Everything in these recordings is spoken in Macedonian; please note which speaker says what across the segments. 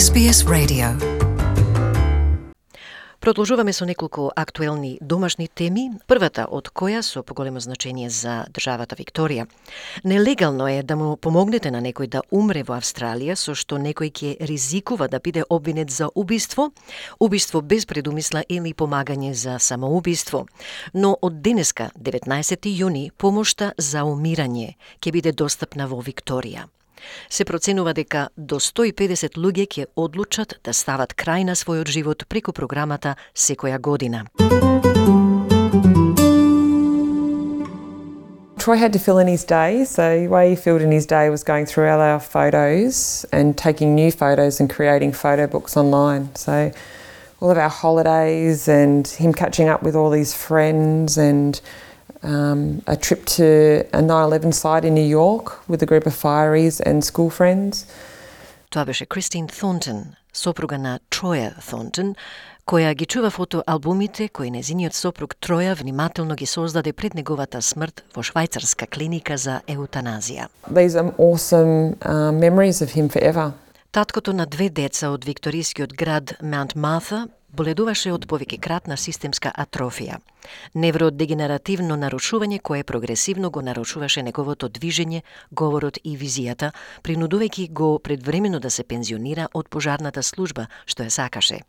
Speaker 1: SBS Radio.
Speaker 2: Продолжуваме со неколку актуелни домашни теми, првата од која со поголемо значење за државата Викторија. Нелегално е да му помогнете на некој да умре во Австралија, со што некој ќе ризикува да биде обвинет за убиство, убиство без предумисла или помагање за самоубиство. Но од денеска, 19 јуни, помошта за умирање ќе биде достапна во Викторија. Се проценува дека до 150 луѓе ќе одлучат да стават крај на својот живот преку програмата секоја година.
Speaker 3: Troy had to fill in his day, so the way he filled in his day was going through all our photos and taking new photos and creating photo books online. So all of our holidays and him catching up with all his friends and a trip to a 9/11 site in New York with a group of fireys and school friends.
Speaker 2: Тоа беше Кристин Thornton, сопруга на Троја Thornton, која ги чува фотоалбумите кои незиниот сопруг Троја внимателно ги создаде пред неговата смрт во швајцарска клиника за еутаназија.
Speaker 3: These are awesome memories of him forever.
Speaker 2: Таткото на две деца од викторискиот град Маунт Марта боледуваше од повеќекратна системска атрофија, невродегенеративно нарушување кое прогресивно го нарушуваше неговото движење, говорот и визијата, принудувајќи го предвремено да се пензионира од пожарната служба, што ја сакаше.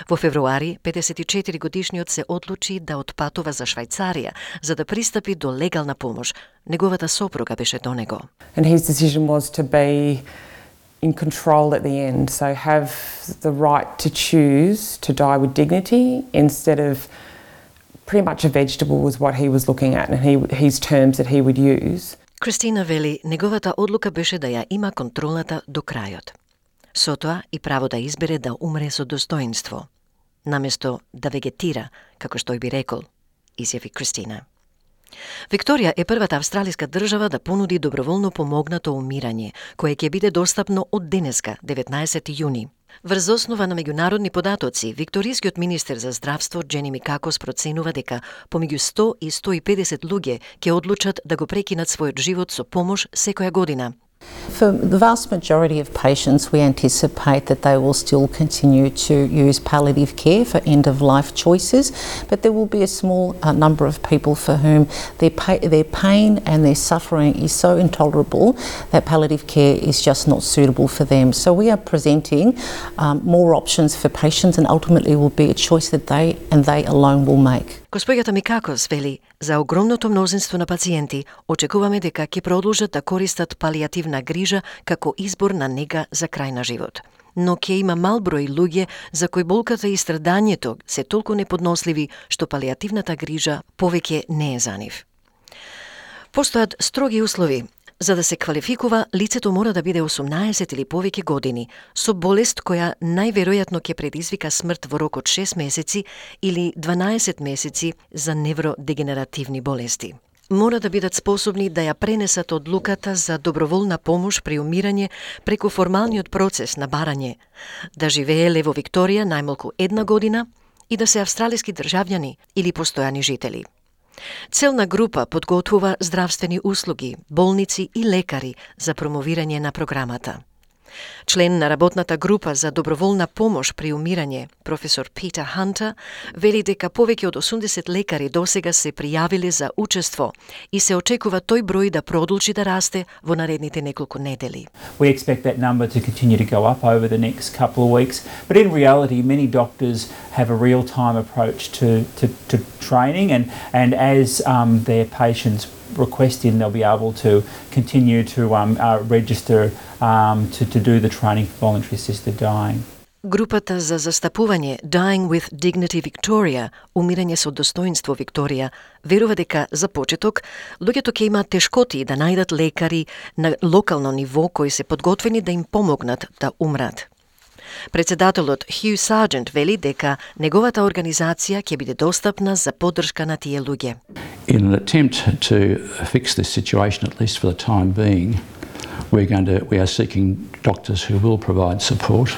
Speaker 2: Во февруари, 54 годишниот се одлучи да отпатува за Швајцарија, за да пристапи до легална помош. Неговата сопруга беше до него.
Speaker 3: And his decision was to be in control at the end, so have the right to choose to die with dignity instead of pretty much a vegetable was what he was looking at and his terms that he would use.
Speaker 2: Кристина вели, неговата одлука беше да ја има контролата до крајот. Со тоа и право да избере да умре со достоинство, наместо да вегетира, како што би рекол, изјави Кристина. Викторија е првата австралиска држава да понуди доброволно помогнато умирање, кое ќе биде достапно од денеска, 19 јуни. Врз основа на меѓународни податоци, викторискиот министер за здравство Джени Микакос проценува дека помеѓу 100 и 150 луѓе ќе одлучат да го прекинат својот живот со помош секоја година.
Speaker 4: For the vast majority of patients, we anticipate that they will still continue to use palliative care for end-of-life choices, but there will be a small number of people for whom their pain and their suffering is so intolerable that palliative care is just not suitable for them. So we are presenting more options for patients, and ultimately will be a choice that they alone will make.
Speaker 2: Госпоѓата Микакос вели, за огромното мнозинство на пациенти очекуваме дека ќе продолжат да користат палијативна грижа како избор на нега за крај на живот. Но ќе има мал број луѓе за кои болката и страдањето се толку неподносливи што палијативната грижа повеќе не е за нив. Постојат строги услови. За да се квалификува, лицето мора да биде 18 или повеќе години, со болест која најверојатно ќе предизвика смрт во рок од 6 месеци или 12 месеци за невродегенеративни болести. Мора да бидат способни да ја пренесат одлуката за доброволна помош при умирање преку формалниот процес на барање, да живееле во Викторија најмалку 1 година и да се австралиски државјани или постојани жители. Целна група подготвува здравствени услуги, болници и лекари за промовирање на програмата. Член на работната група за доброволна помош при умирање, професор Питер Хантер, вели дека повеќе од 80 лекари досега се пријавиле за учество и се очекува тој број да продолжи да расте во наредните неколку недели.
Speaker 5: We expect that number to continue to go up over the next couple of weeks, but in reality many doctors have a real-time approach to training and as their patients request in, they'll be able to continue to register to do the training for voluntary assisted dying.
Speaker 2: Групата за застапување Dying with Dignity Victoria, умирање со достоинство Викторија, верува дека за почеток луѓето ќе имаат тешкоти да најдат лекари на локално ниво кои се подготвени да им помогнат да умрат. Председателот Хју Сарджент вели дека неговата организација ќе биде достапна за поддршка на тие луѓе.
Speaker 6: In an attempt to fix this situation, at least for the time being, we are seeking doctors who will provide support.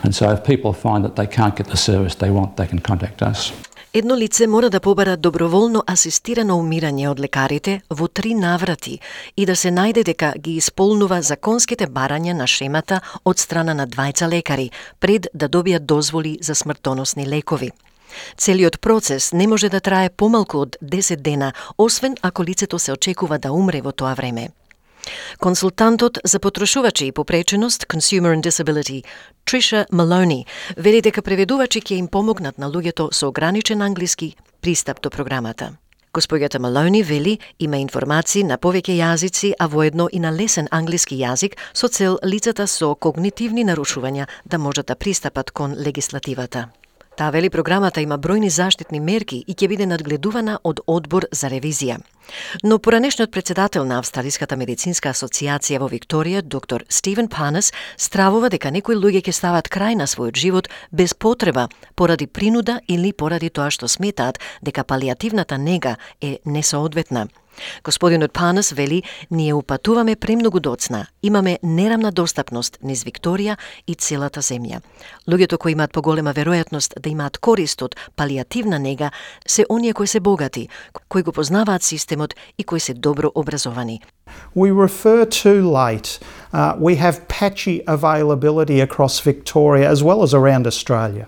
Speaker 6: And so if people find that they can't get the service they want, they can contact us.
Speaker 2: Едно лице мора да побара доброволно асистирано умирање од лекарите во 3 наврати и да се најде дека ги исполнува законските барања на шемата од страна на 2 лекари пред да добијат дозволи за смртоносни лекови. Целиот процес не може да трае помалку од 10 дена, освен ако лицето се очекува да умре во тоа време. Консултантот за потрошувачи и попреченост, Consumer and Disability, Trisha Maloney, вели дека преведувачи ќе им помогнат на луѓето со ограничен англиски пристап до програмата. Госпоѓата Малони вели има информации на повеќе јазици, а воедно и на лесен англиски јазик со цел лицата со когнитивни нарушувања да можат да пристапат кон легислативата. Таа вели програмата има бројни заштитни мерки и ќе биде надгледувана од одбор за ревизија. Но поранешниот председател на Австралиската медицинска асоциација во Викторија, доктор Стивен Панес, стравува дека некои луѓе ќе стават крај на својот живот без потреба, поради принуда или поради тоа што сметаат дека палијативната нега е несоодветна. Господинот Панес вели, ние упатуваме премногу доцна, имаме нерамна достапност низ Викторија и целата земја. Луѓето кои имаат поголема веројатност да имаат корист од палијативна нега се оние кои се богати, кои го познаваат системот и кои се добро образовани.
Speaker 1: We refer too late. We have patchy availability across Victoria as well as around Australia.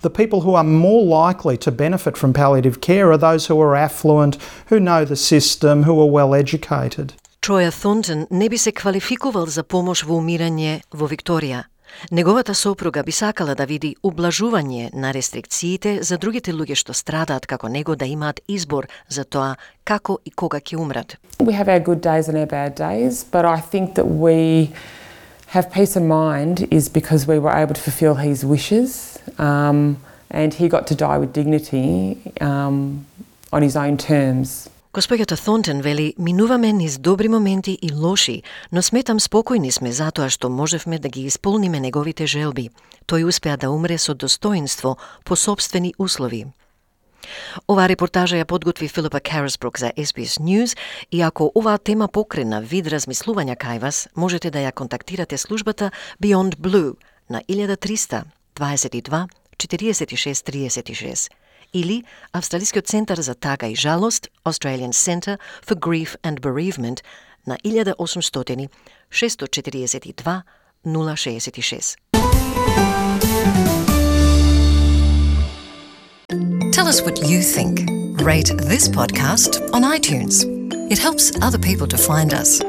Speaker 1: The people who are more likely to benefit from palliative care are those who are affluent, who know the system, who are well educated.
Speaker 2: Троја Thornton не би се квалификувал за помош во умирање во Викторија. Неговата сопруга би сакала да види ублажување на рестрикциите за другите луѓе што страдаат како него да имаат избор за тоа како и кога ќе умрат.
Speaker 3: We have our good days and our bad days, but I think that we have peace of mind is because we were able to fulfil his wishes, and he got to die with dignity on his own terms.
Speaker 2: Госпоѓата Thornton вели, минуваме низ добри моменти и лоши, но сметам спокојни сме затоа што можевме да ги исполниме неговите желби. Тој успеа да умре со достоинство по сопствени услови. Оваа репортажа ја подготви Филипа Карасбрук за SBS News и ако оваа тема покрена вид размислувања кај вас, можете да ја контактирате службата Beyond Blue на 1300 22 46 36 или Австралискиот центар за тага и жалост, Australian Centre for Grief and Bereavement на 1800 642 066. Tell us what you think. Rate this podcast on iTunes. It helps other people to find us.